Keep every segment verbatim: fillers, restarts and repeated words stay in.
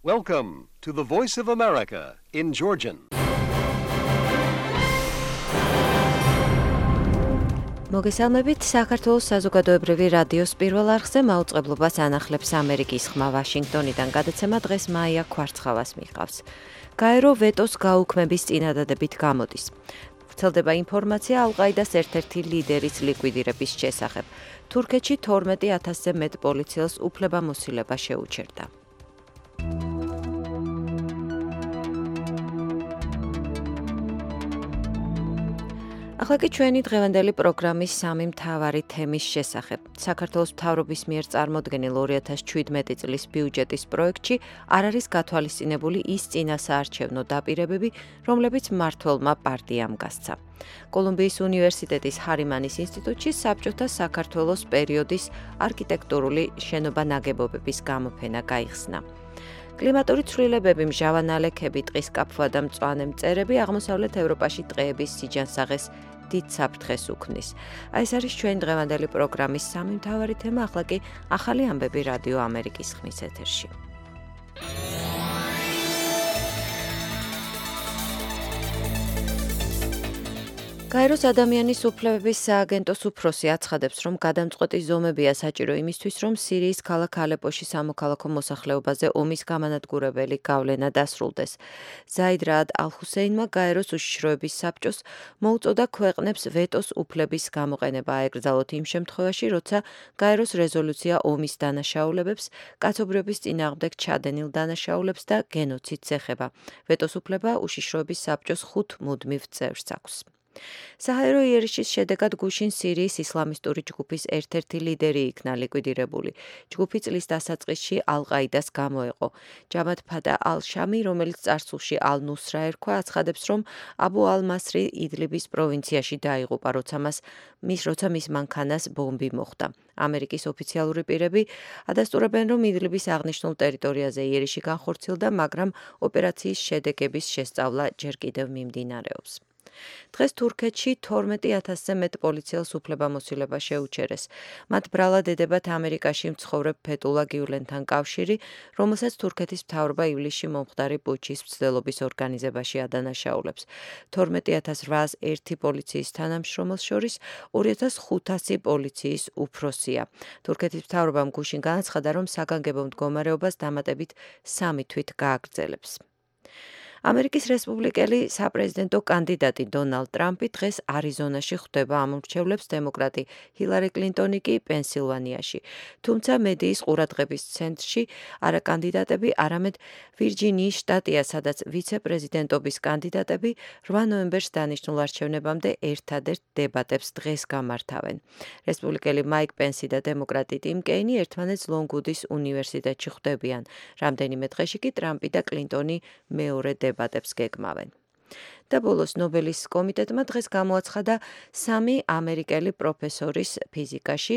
Welcome to the Voice of America in Georgian. მოგესალმებით, საქართველოს საზოგადოებრივი რადიოს პირველ არხზე მაუწყებლობას ანახლებს ამერიკის ხმა ვაშინგტონიდან. გადაცემა დღეს მაია ქვარცხავას მიჰყავს. გაერო ვეტოს გაუქმების წინადადებით გამოდის. ვრცელდება ინფორმაცია ალ-ყაიდას ერთ-ერთი ლიდერის ლიკვიდირების შესახებ. თურქეთში თორმეტი ათასზე მეტ პოლიციელს უფლებამოსილება შეუჩერდა. ახლა კი ჩვენი დღევანდელი პროგრამის სამი მთავარი თემის შესახებ. საქართველოს მთავრობის მიერ წარმოდგენილ ორი ათას შვიდმეტი წლის ბიუჯეტის პროექტში არ არის გათვალისწინებული ის წინასაარჩევნო დაპირებები, რომლებიც მმართველმა პარტიამ გასცა. კოლუმბიის უნივერსიტეტის ჰარიმანის ინსტიტუტში საბჭოთა საქართველოს პერიოდის არქიტექტურული შენობა-ნაგებობების გამოფენა გაიხსნა. კლიმატური ცვლილებები, მჟავა ნალექები, ტყის კაფვა და მწვანე მწერები აღმოსავლეთ ევროპაში ტყეების სიჯანსაღეს დიდ საფრთხეს უქმნის. აი ეს არის ჩვენი დღევანდელი პროგრამის სამი მთავარი თემა, ახლა კი ახალი ამბები რადიო ამერიკის ხმის ეთერში. გაეროს ადამიანის უფლებების სააგენტოს უფროსი აცხადებს, რომ გადამწყვეტი ზომებია საჭირო იმისთვის, რომ სირიის ქალაქ ალეპოში სამოქალაქო მოსახლეობაზე ომის გამანადგურებელი გავლენა დასრულდეს. ზაიდ რაად ალ-ჰუსეინმა გაეროს უშიშროების საბჭოს მოუწოდა ქვეყნებს ვეტოს უფლების გამოყენება აეკრძალოთ იმ შემთხვევაში, როცა გაეროს რეზოლუცია ომის დანაშაულებებს, კაცობრიობის წინააღმდეგ ჩადენილ დანაშაულებს და გენოციდს ეხება. ვეტოს უფლება უშიშროების საბჭოს ხუთ მუდმივ წევრს აქვს. საჰაერო იერიშის შედეგად გუშინ სირიის ისლამისტური ჯგუფის ერთ-ერთი ლიდერი იქნა ლიკვიდირებული. ჯგუფი წლის დასაწყისში ალ-ყაიდას გამოეყო. ჯამად ფადა ალ-შამი, რომელიც წარსულში ალ-ნუსრა ერქვა, აცხადებს, რომ აბუ ალ-მასრი იდლიბის პროვინციაში დაიღუპა, როცა მას მის როცა მის მანქანას ბომბი მოხვდა. ამერიკის ოფიციალური პირები ადასტურებენ, რომ იდლიბის აღნიშნულ ტერიტორიაზე იერიში განხორციელდა, მაგრამ ოპერაციის შედეგების შესწავლა ჯერ კიდევ მიმდინარეობს. დღეს თურქეთში თორმეტი ათასზე მეტ პოლიციელს უფლებამოსილება შეუჩერეს. მათ ბრალად ედებათ ამერიკაში მცხოვრებ ფეტულა გიულენთან კავშირი, რომელსაც თურქეთის მთავრობა ივლისში მომხდარი პუჩის მცდელობის ორგანიზებაში ადანაშაულებს. თორმეტი ათას რვაას ერთი პოლიციის თანამშრომელს შორის ორი ათას ხუთასი პოლიციის უფროსია. თურქეთის მთავრობამ გუშინ განაცხადა, რომ საგანგებო მდგომარეობას დამატებით სამი თვით გააგრძელებს. ამერიკის რესპუბლიკელი საპრეზიდენტო კანდიდატი დონალდ ტრამპი დღეს არიზონაში ხვდება ამომრჩევლებს, დემოკრატი ჰილარი კლინტონი კი პენსილვანიაში. თუმცა მედიის ყურადღების ცენტრში არა კანდიდატები, არამედ ვირჯინიის შტატია, სადაც ვიცე-პრეზიდენტობის კანდიდატები რვა ნოემბერს დანიშნულ არჩევნებამდე ერთადერთ დებატებს დღეს გამართავენ. რესპუბლიკელი მაიკ პენსი და დემოკრატი ტიმ კეინი ერთმანეთს ლონგუდის უნივერსიტეტში ხვდებიან. რამდენიმე დღეში კი ტრამპი და კლინტონი მეორე დებატებს გეგმავენ. და ბოლოს ნობელის კომიტეტმა დღეს გამოაცხადა სამი ამერიკელი პროფესორის ფიზიკაში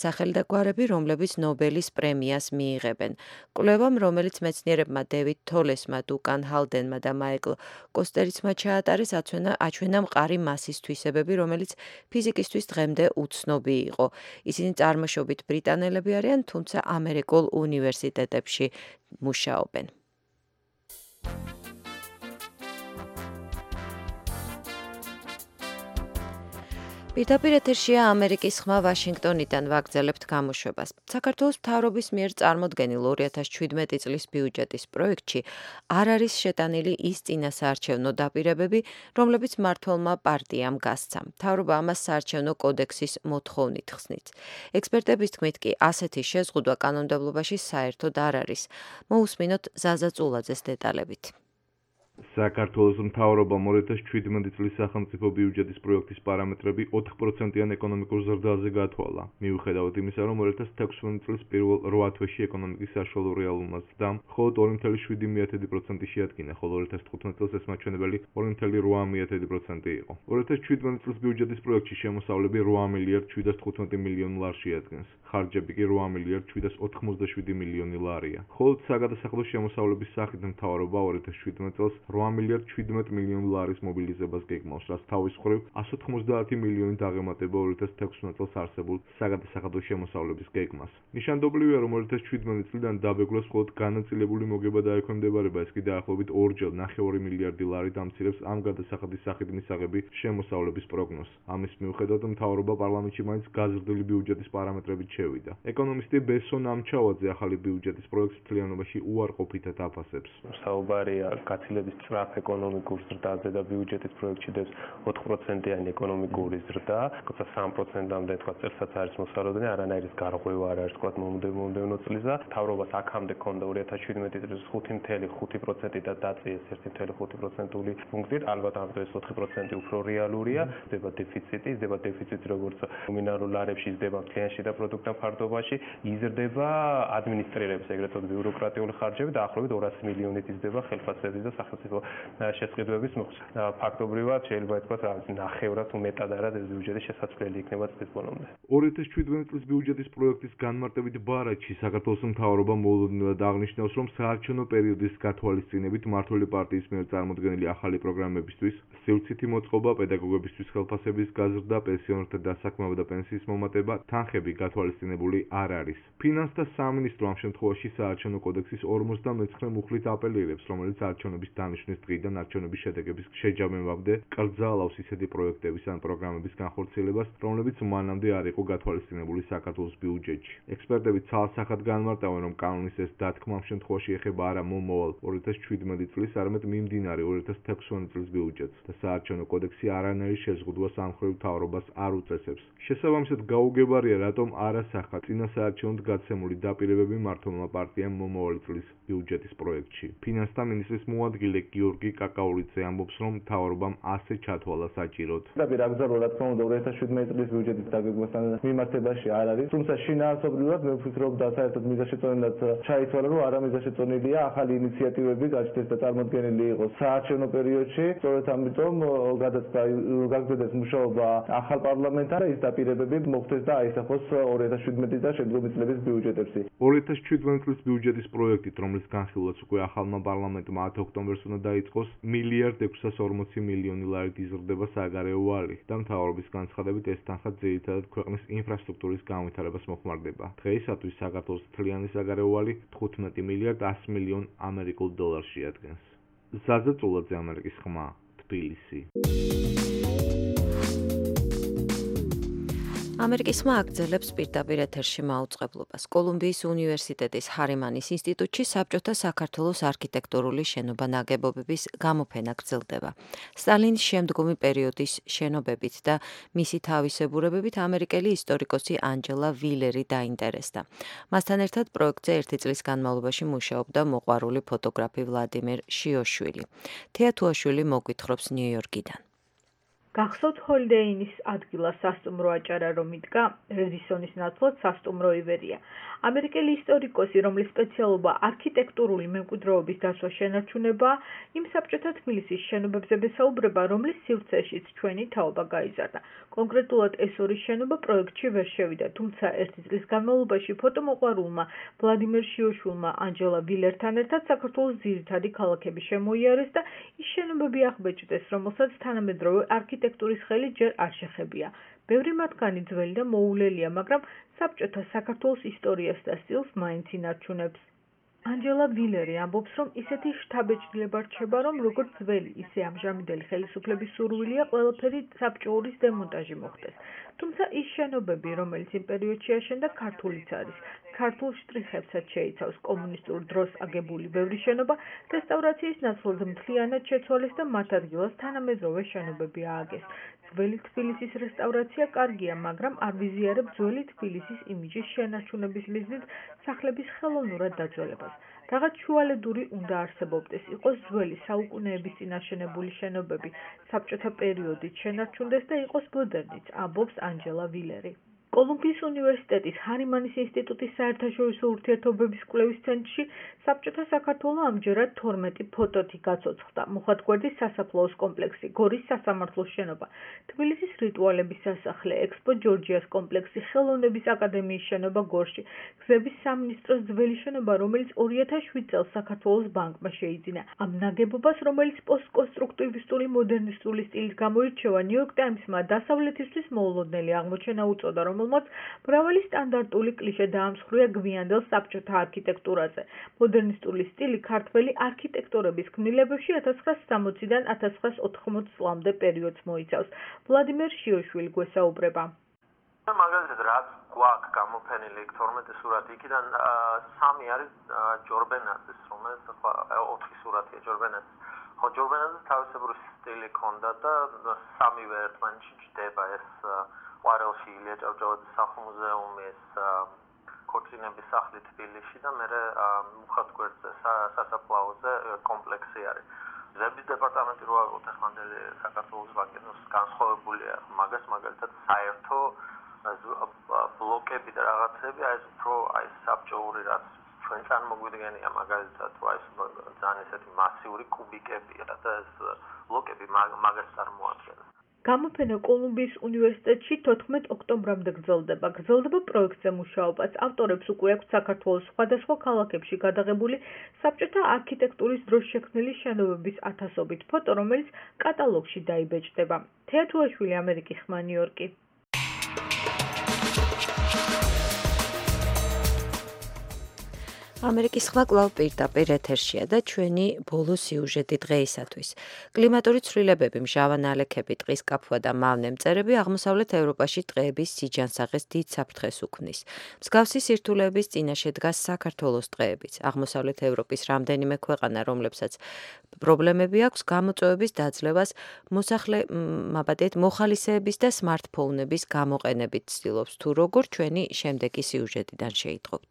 სახელი და გვარები, რომლებიც ნობელის პრემიას მიიღებენ. კვლევამ, რომელიც მეცნიერებმა დევიდ თოლესმა, დუკან ჰალდენმა და მაიკლ კოსტერიცმა ჩაატარეს, აჩვენა მყარი მასის თვისებები, რომელიც ფიზიკისთვის დღემდე უცნობი იყო. ისინი წარმოშობით ბრიტანელები არიან, თუმცა ამერიკულ უნივერსიტეტებში მუშაობენ. პირდაპირ ეთერშია ამერიკის ხმა ვაშინგტონიდან, ვაგრძელებთ გამოშვებას. საქართველოს მთავრობის მიერ წარმოდგენილ ორი ათას შვიდმეტი წლის ბიუჯეტის პროექტში არ არის შეტანილი ის წინასაარჩევნო დაპირებები, რომლებიც მმართველმა პარტიამ გასცა. მთავრობა ამას საარჩევნო კოდექსის მოთხოვნით ხსნით. ექსპერტების თქმით კი ასეთი შეზღუდვა კანონმდებლობაში საერთოდ არ არის. მოусმინოთ ზაზა წულაძეს დეტალებით. საქართველოს მთავრობამ ორი ათას შვიდმეტი წლის სახელმწიფო ბიუჯეტის პროექტის პარამეტრები ოთხ პროცენტიან ეკონომიკურ ზრდაზე გათვალა. მიუხედავად იმისა, რომ ორი ათას ექვსმეტი წლის პირველ რვა თვეში ეკონომიკის საშუალო რეალურმა ზრდამ მხოლოდ ორი ათას შვიდი პროცენტი შეადგინა, ხოლო ორი ათას თხუთმეტი წელს ეს მაჩვენებელი ორი ათას რვა პროცენტი იყო. ორი ათას შვიდმეტი წლის ბიუჯეტის პროექტში შემოსავლები რვა მილიარდ შვიდას თხუთმეტი მილიონი ლარს შეადგენს. ხარჯები კი რვა მილიარდ შვიდას ოთხმოცდაშვიდი მილიონი ლარია. ხოლო საგადასახლო შემოსავლების სახით მთავრობა ორი ათას შვიდმეტი წელს რვა მილიარდ შვიდმეტ მილიონ დოლარის მობილიზებას გეგმავს, რაც თავის მხრივ εκατს ოთხმოცდაათი მილიონი დაღემატება ორი ათას თექვსმეტ წელს არსებულ საგადასახადო შემოსავლების გეგმას. ნიშანდობლივია, რომ ორი ათას შვიდმეტი წლიდან დაბეგვარს მხოლოდ განაწილებული მოგება დაექვემდებარება, ეს კი დაახლოებით ორჯერ ნახევარი მილიარდი ლარი დამცირებს ამ გადასახადის სახით მისაღები შემოსავლების პროგნოზს. ამის მიუხედავად, მთავრობა პარლამენტში მაინც გაზრდილი ბიუჯეტის პარამეტრებით შევიდა. ეკონომისტი ბესონ ამჩავაძე ახალი ბიუჯეტის პროექტს მთლიანობაში უარყოფითად აფასებს. საუბარია გაცილებით სწრაფ ეკონომიკურ ზრდაზე და ბიუჯეტის პროექტში დევს ოთხ პროცენტიანი ეკონომიკური ზრდა, როცა სამ პროცენტამდე თქვა წელსაც არის მოსალოდნელი, არანაირი გარღვევა არ არის თქვა მომდევნო წლის და მთავრობას აქამდე ჰქონდა ორი ათას შვიდმეტი წლის ხუთი წელი ხუთი პროცენტი და დაწიეს ერთი წელი ხუთი პროცენტული პუნქტით, ალბათ ამ დროს ოთხი პროცენტი უფრო რეალურია, ხდება დეფიციტი, ხდება დეფიციტი როგორც ნომინალურ ლარებში, ხდება მთლიან შიდა პროდუქტთან ფარდობაში, იზრდება ადმინისტრირების ეგრეთ წოდებული ბიუროკრატიული ხარჯები და ახლობით ორასი მილიონით იზრდება ხელფასების და სახელმწიფო შესყიდვების მოხდა. ფაქტობრივად შეიძლება ითქვას, რომ ნახევრად თუ მეტად არა ეს ბიუჯეტი შესაძლებელი იქნება წლის ბოლომდე. ორი ათას შვიდმეტი წლის ბიუჯეტის პროექტის განმარტებით ბარათში საქართველოს მთავრობა მოულოდნელად აღნიშნავს, რომ საარჩევნო პერიოდის გათვალისწინებით მმართველი პარტიის მიერ წარმოდგენილი ახალი პროგრამებისთვის, სივრცითი მოწყობა, პედაგოგებისთვის ხელფასების გაზრდა, პენსიონერთა დასაქმება და პენსიის მომატება, თანხები გათვალისწინებული არ არის. ფინანსთა სამინისტრო ამ შემთხვევაში საარჩევნო კოდექსის ორმოცდამეცხრე მუხლით აპელირებს, რომელიც არჩევნების დანიშნვის დღიდან არჩევნების შედეგების შეჯამებამდე კრძალავს ისეთი პროექტების ან პროგრამების განხორციელებას, რომლებიც მანამდე არ იყო გათვალისწინებული საქართველოს ბიუჯეტში. ექსპერტები ცალსახად განმარტავენ, რომ კანონის ეს დათქმა ამ შემთხვევაში ეხება არა მომავალ ორი ათას შვიდმეტი წლის, არამედ მიმდინარე ორი ათას თექვსმეტი წლის ბიუჯეტს და საარჩევნო კოდექსი არანაირ შეზღუდვას ამ მხრივ მთავრობას არ უწესებს. შესაბამისად, გაუგებარია, რატომ არ ასახა წინა საარჩევნოდ გაცემული დაპირებები მმართველმა პარტიამ მომავალი წლის ბიუჯეტის პროექტში. ფინანსთა მინისტრის მოადგილე გიორგი კაკაულიძე ამბობს, რომ მთავრობამ ასე ჩათვალა საჭიროდ. დაპირაგზავნა რა თქმა უნდა ორი ათას შვიდმეტი წლის ბიუჯეტის დაგეგმვასთან მიმართებაში არ არის, თუმცა შინაარსობრივად მე ვფიქრობ და საერთოდ მიზანშეწონილად ჩაითვალა, რომ არა მიზანშეწონილია ახალი ინიციატივები გაჩნდეს და წარმოდგენილი იყოს საარჩევნო პერიოდში. სწორედ ამიტომ გადაწყდა გაგრძელდეს მუშაობა ახალ პარლამენტთან და ის დაპირებები მოხდეს და აისახოს ორი ათას შვიდმეტი და შემდგომი წლების ბიუჯეტებში. ორი ათას შვიდმეტი წლის ბიუჯეტის პროექტით, რომლის განხილვაც უკვე ახალმა პარლამენტმა ათი ოქტომბერს უნდა დაიწყოს, მილიარდ ექვსას ორმოცი მილიონი ლარით იზრდება საგარეო ვალი და მთავრობის განცხადებით ეს თანხა ძირითადად ქვეყნის ინფრასტრუქტურის განვითარებას მოხმარდება. დღეისათვის საქართველოს მთლიანი საგარეო ვალი თხუთმეტი მილიარდ ასი მილიონ ამერიკულ დოლარს შეადგენს. ზაზა წულაძე, ამერიკის ხმა, თბილისი. ამერიკის ხმა აგრძელებს პირდაპირ ეთერში მაუწყებლობას. კოლუმბიის უნივერსიტეტის ჰარიმანის ინსტიტუტში საბჭოთა საქართველოს არქიტექტურული შენობა-ნაგებობების გამოფენა გრძელდება. სტალინის შემდგომი პერიოდის შენობებით და მისი თავისებურებებით ამერიკელი ისტორიკოსი ანჯელა ვილერი დაინტერესდა. მასთან ერთად პროექტზე ერთი წლის განმავლობაში მუშაობდა მოყვარული ფოტოგრაფი ვლადიმერ შიოშვილი. თეა თუაშვილი მოგვითხრობს ნიუ-იორკიდან. გახსოვთ ჰოლიდეინის ადგილას სასტუმრო აჭარა, რომ იდგა რედისონის ნაცვლად სასტუმრო ივერია. ამერიკელი ისტორიკოსი, რომლის სპეციალობა არქიტექტურული მემკვიდრეობის დაცვა შენარჩუნებაა, იმ საბჭოთა თბილისის შენობებზე ესაუბრება, რომლის სივრცეშიც ჩვენი თაობა გაიზარდა. კონკრეტულად ეს ორი შენობა პროექტში ვერ შევიდა, თუმცა ერთი წლის განმავლობაში ფოტომოყვარულმა ვლადიმერ შიოშვილმა ანჯელა ვილერთან ერთად საქართველოს ძირითადი ქალაქები შემოიარეს და ის შენობები აღბეჭდეს, რომელსაც თანამედროვე არქიტექტურის ხელი ჯერ არ შეხებია. ბევრი მათგანი ძველი და მოულელია, მაგრამ საბჭოთა საქართველოს ისტორიას და სტილს მაინც ინარჩუნებს. ანჯელა ვილერი ამბობს, რომ ისეთი შთაბეჭდილება რჩება, რომ როგორც ძველი, ისე ამჟამინდელი ხელისუფლების სურვილია ყველაფერი საბჭოურის დემონტაჟი მოხდეს. თუმცა ის შენობები, რომელიც იმ პერიოდში აშენდა, ქართულიც არის. ქართულ შტრიხებსაც შეიცავს კომუნისტურ დროს აგებული ბევრი შენობა, რესტავრაციის ნაცვლად მთლიანად შეცვალეს და მათ ადგილას თანამედროვე შენობები ააგეს. ძველი თბილისის რესტავრაცია კარგია, მაგრამ არ ვიზიარებ ძველი თბილისის იმიჯის შენარჩუნების მიზნით სახლების ხელოვნურად დაძველებას. რაღაც შუალედური უნდა არსებობდეს, იყოს ძველი საუკუნეების წინ აშენებული შენობები საბჭოთა პერიოდით შენარჩუნდეს და იყოს მოდერნიც, ამბობს ანჯელა ვილერი. კოლუმბიის უნივერსიტეტის ჰარიმანის ინსტიტუტის საერთაშორისო ურთიერთობების კვლევის ცენტრში საბჭოთა საქართველო ამჯერად თორმეტი ფოტოთი გაცოცხლდა. მუხათგვერდის სასაფლაოს კომპლექსი, გორის სასამართლოს შენობა, თბილისის რიტუალების სასახლე, ექსპო ჯორჯიას კომპლექსი, ხელოვნების აკადემიის შენობა გორში, გზების სამინისტროს ძველი შენობა, რომელიც ორი ათას შვიდ წელს საქართველოს ბანკმა შეიძინა. ამ ნაგებობას, რომელიც პოსტკონსტრუქტივისტური მოდერნისტული სტილის გამოირჩევა, ნიუ-იორკ ტაიმსმა დასავლეთისთვის მოულოდნელი აღმოჩენა უწოდა, რომელმაც მრავალი სტანდარტული კლიშე დაამსხვრია გვიანდელ საბჭოთა არქიტექტურაზე. მოდერნისტული სტილი ქართველი არქიტექტორების ქმნილებებში ათას ცხრაასი სამოციდან ათას ცხრაასი ოთხმოცი წლამდე პერიოდს მოიცავს. ვლადიმერ შიოშვილი გვესაუბრება. მაგალითად, რაც გვაქვს გამოფენილი თორმეტი სურათი, იქიდან სამი არის ჯორბენაძის, რომელიც ახლა ოთხი სურათია ჯორბენაძის. ხო, ჯორბენაძის თავისებური სტილი ჰქონდა და სამივე ერთმანეთში ჯდება ეს ყვარელში ილია ჭავჭავაძის სახლ-მუზეუმი, ეს ქორწინების სახლი თბილისში და მერე მუხათგვერდზე სასაფლაოზე კომპლექსი არის. გზების დეპარტამენტი რო ავიღოთ ეხლანდელი საქართველოს ბანკის განსხვავებულია მაგას მაგალითად საერთო ბლოკები და რაღაცები აი ეს უფრო აი საბჭოური რაც ჩვენ წარმოგვიდგენია მაგალითად აი ეს ძალიან ესეთი მასიური კუბიკებია და ეს ბლოკები მაგას წარმოადგენს. გამოფენა კოლუმბიის უნივერსიტეტში თოთხმეტ ოქტომბრამდე გრძელდება. გრძელდება პროექტზე მუშაობაც. ავტორებს უკვე აქვს საქართველოს სხვადასხვა ქალაქებში გადაღებული საბჭოთა არქიტექტურის დროს შექმნილი შენობების ათასობით ფოტო, რომელიც კატალოგში დაიბეჭდება. თეა თუაშვილი, ამერიკის ხმა, ნიუ-იორკი. ამერიკის ხმა კვლავ პირდაპირ ეთერშია და ჩვენი ბოლო სიუჟეტი დღეისათვის. კლიმატური ცვლილებები, მჟავა ნალექები, ტყის კაფვა და მავნე მწერები აღმოსავლეთ ევროპაში ტყეების სიჯანსაღეს დიდ საფრთხეს უქმნის. მსგავსი სირთულეების წინაშე დგას საქართველოს ტყეებიც. აღმოსავლეთ ევროპის რამდენიმე ქვეყანა, რომლებსაც პრობლემები აქვს გამოწვევების დაძლევას, მოსახლე მაბადეთ მოხალისეების და სმარტფონების გამოყენებით ცდილობს, თუ როგორ ჩვენი შემდეგი სიუჟეტიდან შეიტყობთ.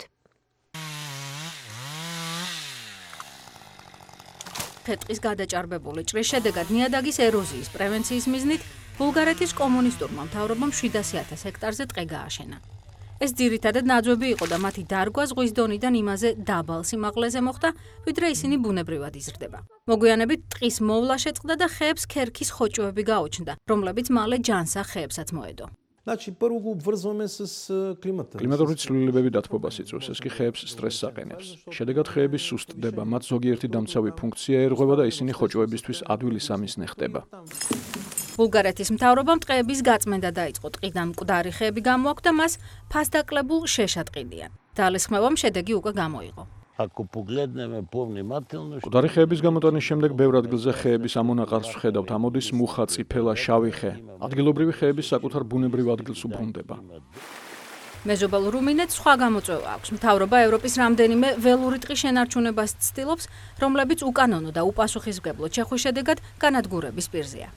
ფეტყის გადაჭარბებული ჭრის შედეგად ნიადაგის ეროზიის პრევენციის მიზნით ბულგარეთის კომუნისტურმა მთავრობამ შვიდასი ათას ჰექტარზე ტყე გააშენა. ეს ძირითადად ნაძვები იყო და მათი დარგვა ზღვის დონიდან იმაზე დაბალ სიმაღლეზე მოხდა, ვიდრე ისინი ბუნებრივად იზრდება. მოგვიანებით ტყის მოვლა შეწყდა და ხეებს ქერქის ხოჭოები გაუჩნდა, რომლებიც მალე ჯანსაღ ხეებსაც მოედო. კლიმატური ცვლილებები დათბობას იწვევს, ეს კი ხეებს სტრესს აყენებს. შედეგად ხეები სუსტდება, მათ ზოგიერთი დამცავი ფუნქცია ერღვება და ისინი ხოჭოებისთვის ადვილი სამიზნე ხდება. ბულგარეთის მთავრობამ ტყეების გაწმენდა დაიწყო, ტყიდან მკვდარი ხეები გამოაქვთ და მას ფასდაკლებულ შეშად ყიდიან. ძალისხმევამ შედეგი უკვე გამოიღო. მკვდარი ხეების გამოტანის შემდეგ ბევრ ადგილზე ხეების ამონაყარს ვხედავთ, ამოდის მუხა, წიფელა, შავი ხე. ადგილობრივი ხეები საკუთარ ბუნებრივ ადგილს უბრუნდება. მეზობელ რუმინეთს სხვა გამოწვევა აქვს. მთავრობა ევროპის რამდენიმე ველური ტყის შენარჩუნებას ცდილობს, რომლებიც უკანონო და უპასუხისმგებლო ჩეხვის შედეგად განადგურების პირზეა.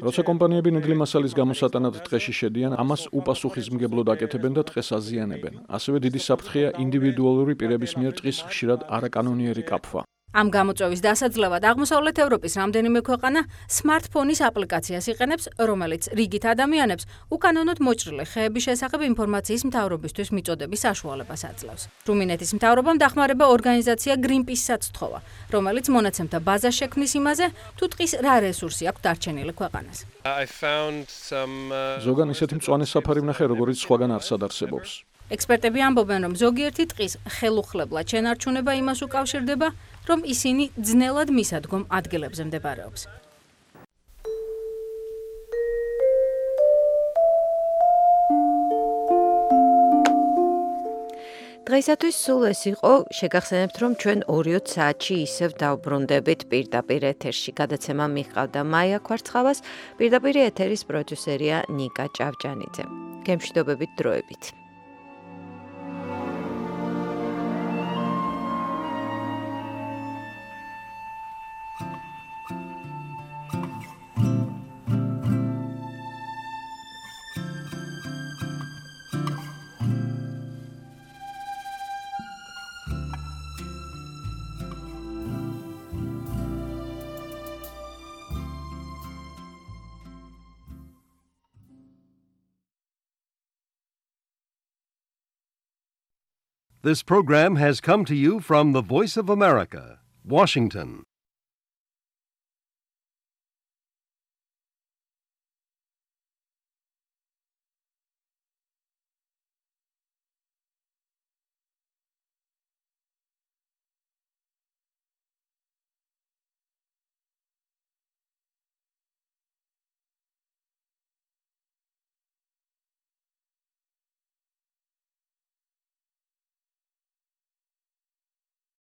როცა კომპანიები ნედლი მასალის გამოსატანად ტყეში შედიან, ამას უპასუხისმგებლოდ აკეთებენ და ტყეს აზიანებენ. ასევე დიდი საფრთხეა ინდივიდუალური პირების მიერ ტყის ხშირად არაკანონიერი კაფვა. ამ გამოწვევის დასაძლევად აღმოსავლეთ ევროპის რამდენიმე ქვეყანა სმარტფონის აპლიკაციას იყენებს, რომელიც რიგით ადამიანებს უკანონოდ მოჭრილი ხეების შესახებ ინფორმაციის მთავრობისთვის მიწოდების საშუალებას აძლევს. რუმინეთის მთავრობამ დახმარება ორგანიზაცია Greenpeace-საც სთხოვა, რომელიც მონაცემთა ბაზას შექმნის იმაზე, თუ ტყის რა რესურსი აქვს დარჩენილი ქვეყანას. ზოგან ისეთი მწვანე საფარი ვნახე, როგორც სხვაგან არსად არსებობს. ექსპერტები ამბობენ, რომ ზოგიერთი ტყის ხელუხლებლად შენარჩუნება იმას უკავშირდება, რომ ისინი ძნელად მისადგომ ადგილებზე მდებარეობს. დღეისათვის სულ ეს იყო. შეგახსენებთ, რომ ჩვენ ორიოც საათში ისევ დავბრუნდებით პირდაპირ ეთერში. გადაცემა მიჰყავდა მაია ქვარცხავას, პირდაპირ ეთერის პროდიუსერია ნიკა ჭავჭანიძე. გემშვიდობებით დროებით. This program has come to you from the Voice of America, Washington.